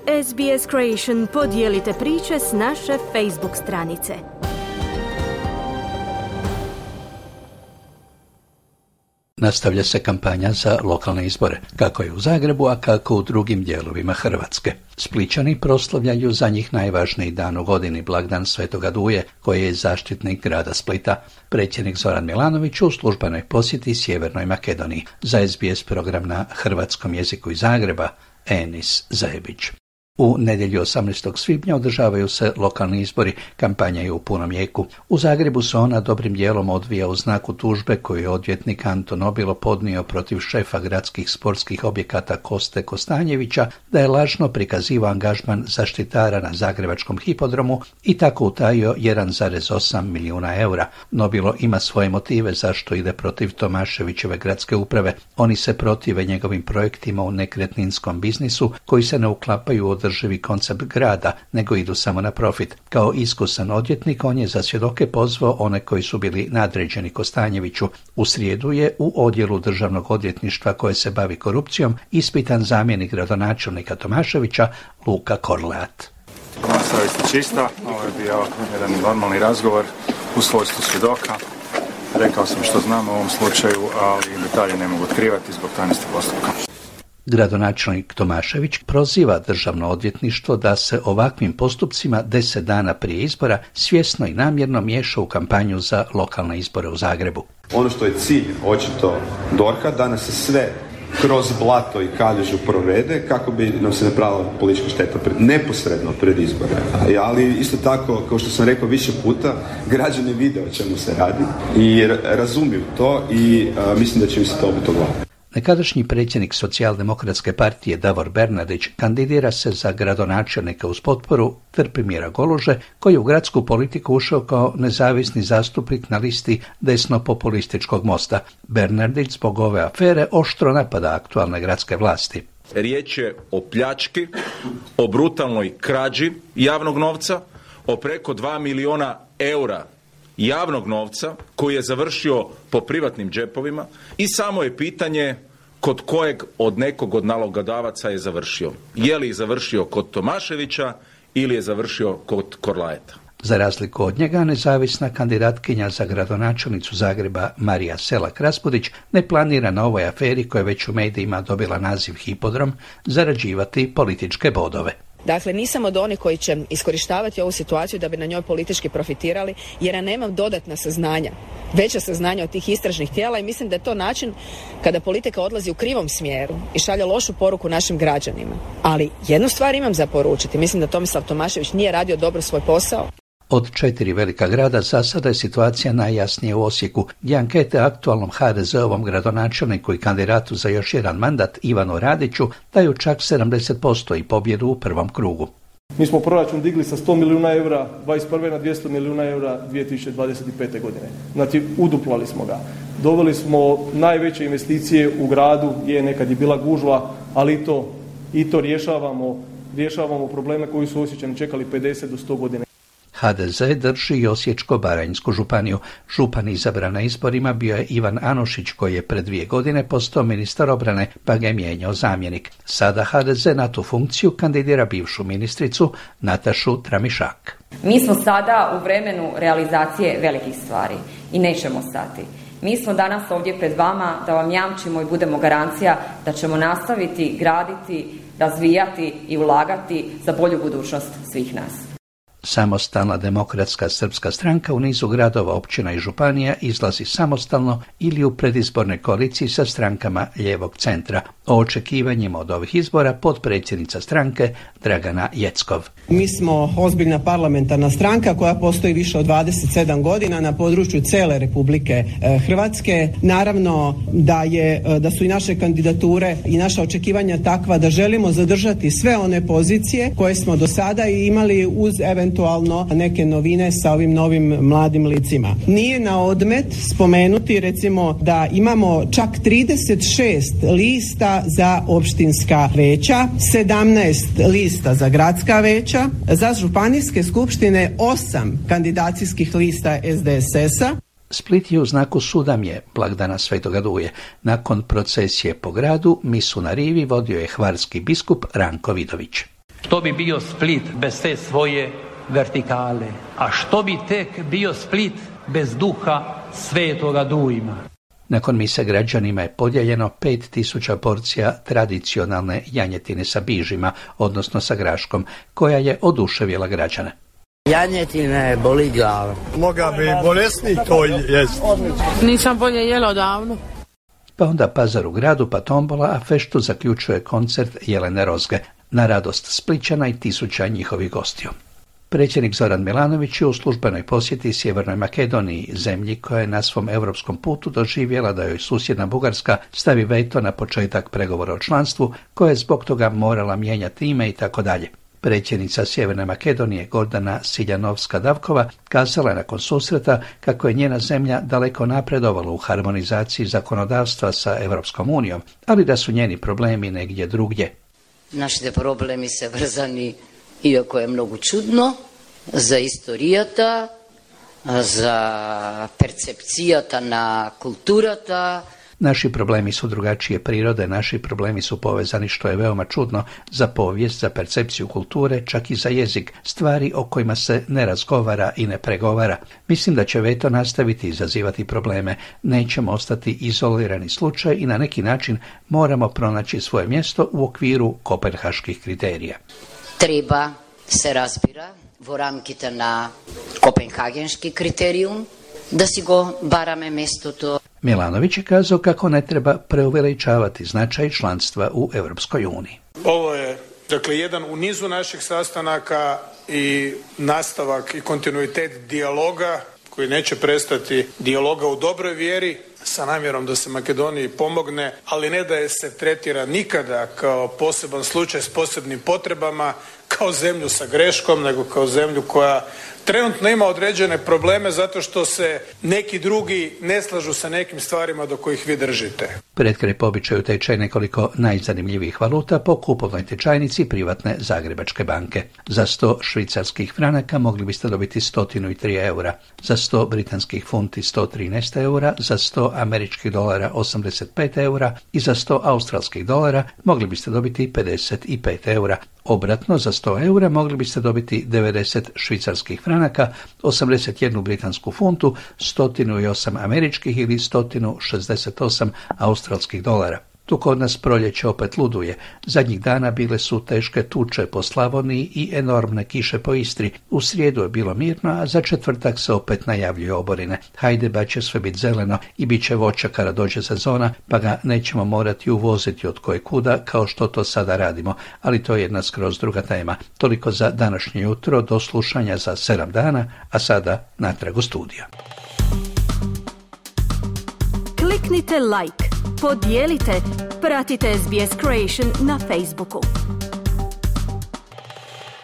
SBS Creation podijelite priče s naše Facebook stranice. Nastavlja se kampanja za lokalne izbore, kako je u Zagrebu, a kako u drugim dijelovima Hrvatske. Splićani proslavljaju za njih najvažniji dan u godini, blagdan Svetoga Duje, koji je zaštitnik grada Splita. Predsjednik Zoran Milanović u službenoj posjeti Sjevernoj Makedoniji. Za SBS program na hrvatskom jeziku iz Zagreba, Enis Zajebić. U nedjelju 18. svibnja održavaju se lokalni izbori, kampanja je u punom jeku. U Zagrebu se ona dobrim dijelom odvija u znaku tužbe koju je odvjetnik Anton Nobilo podnio protiv šefa gradskih sportskih objekata Koste Kostanjevića da je lažno prikazivao angažman zaštitara na zagrebačkom hipodromu i tako utajio 1,8 milijuna eura. Nobilo ima svoje motive zašto ide protiv Tomaševićeve gradske uprave. Oni se protive njegovim projektima u nekretninskom biznisu koji se ne uklapaju u održivi koncept grada, nego idu samo na profit. Kao iskusan odvjetnik, on je za svjedoke pozvao one koji su bili nadređeni Kostanjeviću. U srijedu je u odjelu državnog odvjetništva koje se bavi korupcijom ispitan zamjenik gradonačelnika Tomaševića Luka Korleat. Moja savjest je čista, ovo je bio jedan normalni razgovor u svojstvu svjedoka. Rekao sam što znam u ovom slučaju, ali detalje ne mogu otkrivati zbog tajnosti postupka. Gradonačelnik Tomašević proziva državno odvjetništvo da se ovakvim postupcima 10 dana prije izbora svjesno i namjerno miješa u kampanju za lokalne izbore u Zagrebu. Ono što je cilj očito DORH-a da nas se sve kroz blato i kaljužu provede kako bi nam se napravila politička šteta neposredno pred izbore. Ali isto tako, kao što sam rekao više puta, građani vide o čemu se radi i razumiju to i mislim da će im se to obiti o glavu. Nekadašnji predsjednik Socijaldemokratske partije Davor Bernardić kandidira se za gradonačelnika uz potporu Trpimira Goluže, koji je u gradsku politiku ušao kao nezavisni zastupnik na listi desno-populističkog Mosta. Bernardić zbog ove afere oštro napada aktualne gradske vlasti. Riječ je o pljački, o brutalnoj krađi javnog novca, o preko 2 milijuna eura javnog novca koji je završio po privatnim džepovima i samo je pitanje kod kojeg od nekog od nalogodavaca je završio. Je li završio kod Tomaševića ili je završio kod Korlaeta? Za razliku od njega, nezavisna kandidatkinja za gradonačelnicu Zagreba Marija Selak-Raspudić ne planira na ovoj aferi koja već u medijima dobila naziv hipodrom zarađivati političke bodove. Dakle, nisam od onih koji će iskorištavati ovu situaciju da bi na njoj politički profitirali, jer ja nemam dodatna saznanja, veća saznanja od tih istražnih tijela i mislim da je to način kada politika odlazi u krivom smjeru i šalje lošu poruku našim građanima. Ali jednu stvar imam za poručiti, mislim da Tomislav Tomašević nije radio dobro svoj posao. Od 4 velika grada za sada je situacija najjasnije u Osijeku, gdje ankete aktualnom HDZ-ovom gradonačelniku i kandidatu za još jedan mandat Ivanu Radiću daju čak 70% i pobjedu u prvom krugu. Mi smo proračun digli sa 100 milijuna eura 21. na 200 milijuna eura 2025. godine. Znači, uduplali smo ga. Doveli smo najveće investicije u gradu gdje nekad je bila gužva, ali i to rješavamo probleme koji su Osječani čekali 50 do 100 godina. HDZ drži i Osječko-baranjsku županiju. Župan izabran na izborima bio je Ivan Anušić, koji je pred 2 godine postao ministar obrane, pa ga je mijenjao zamjenik. Sada HDZ na tu funkciju kandidira bivšu ministricu Natašu Tramišak. Mi smo sada u vremenu realizacije velikih stvari i nećemo stati. Mi smo danas ovdje pred vama da vam jamčimo i budemo garancija da ćemo nastaviti graditi, razvijati i ulagati za bolju budućnost svih nas. Samostalna demokratska srpska stranka u nizu gradova, općina i županija izlazi samostalno ili u predizbornoj koaliciji sa strankama lijevog centra. O očekivanjima od ovih izbora potpredsjednica stranke Dragana Jeckov. Mi smo ozbiljna parlamentarna stranka koja postoji više od 27 godina na području cijele Republike Hrvatske. Naravno da su i naše kandidature i naša očekivanja takva da želimo zadržati sve one pozicije koje smo do sada imali uz eventualno neke novine sa ovim novim mladim licima. Nije na odmet spomenuti recimo da imamo čak 36 lista za opštinska veća, 17 lista za gradska veća, za županijske skupštine 8 kandidacijskih lista SDSS-a. Split je u znaku Sudamje, blagdana Svetoga Duje. Nakon procesije po gradu, misu na rivi vodio je hvarski biskup Ranko Vidović. Što bi bio Split bez te svoje vertikale? A što bi tek bio Split bez duha Svetoga Dujma? Nakon mise građanima je podijeljeno 5000 porcija tradicionalne janjetine sa bižima, odnosno sa graškom, koja je oduševila građane. Janjetina boli glava. Moga bi bolesni to jest. Nisam bolje jela odavno. Pa onda pazar u gradu, pa tombola, a feštu zaključuje koncert Jelene Rozge, na radost Splićana i tisuća njihovih gostiju. Predsjednik Zoran Milanović je u službenoj posjeti Sjevernoj Makedoniji, zemlji koja je na svom europskom putu doživjela da joj susjedna Bugarska stavi veto na početak pregovora o članstvu, koja je zbog toga morala mijenjati ime i tako dalje. Predsjednica Sjeverne Makedonije Gordana Siljanovska-Davkova kazala je nakon susreta kako je njena zemlja daleko napredovala u harmonizaciji zakonodavstva sa Europskom unijom, ali da su njeni problemi negdje drugdje. Нашите проблеми се врзани, иако е многу чудно, за историјата, за перцепцијата на културата. Naši problemi su drugačije prirode, naši problemi su povezani, što je veoma čudno, za povijest, za percepciju kulture, čak i za jezik, stvari o kojima se ne razgovara i ne pregovara. Mislim da će veto nastaviti izazivati probleme, nećemo ostati izolirani slučaj i na neki način moramo pronaći svoje mjesto u okviru kopenhaških kriterija. Treba se razbira во рамките на копенхагенски критериум, да си го бараме местото. Milanović je kazao kako ne treba preuveličavati značaj članstva u Europskoj uniji. Ovo je, dakle, jedan u nizu naših sastanaka i nastavak i kontinuitet dijaloga koji neće prestati, dijaloga u dobroj vjeri sa namjerom da se Makedoniji pomogne, ali ne da je se tretira nikada kao poseban slučaj s posebnim potrebama, kao zemlju sa greškom, nego kao zemlju koja trenutno ima određene probleme zato što se neki drugi ne slažu sa nekim stvarima do kojih vi držite. Pred kraj po običaju tečaj nekoliko najzanimljivijih valuta po kupovnoj tečajnici privatne Zagrebačke banke. Za 100 švicarskih franaka mogli biste dobiti 103 eura, za 100 britanskih funti 113 eura, za 100 američkih dolara 85 eura i za 100 australskih dolara mogli biste dobiti 55 eura. Obratno, za 100 eura mogli biste dobiti 90 švicarskih franaka, 81 britansku funtu, 108 američkih ili 168 australskih dolara. Tu kod nas proljeće opet luduje. Zadnjih dana bile su teške tuče po Slavoniji i enormne kiše po Istri. U srijedu je bilo mirno, a za četvrtak se opet najavljuju oborine. Hajdeba će sve biti zeleno i bit će voća kada dođe sezona, pa ga nećemo morati uvoziti od koje kuda kao što to sada radimo, ali to je jedna skroz druga tema. Toliko za današnje jutro, do slušanja za 7 dana, a sada natrag u studio. Kliknite like, podijelite, pratite SBS Creation na Facebooku.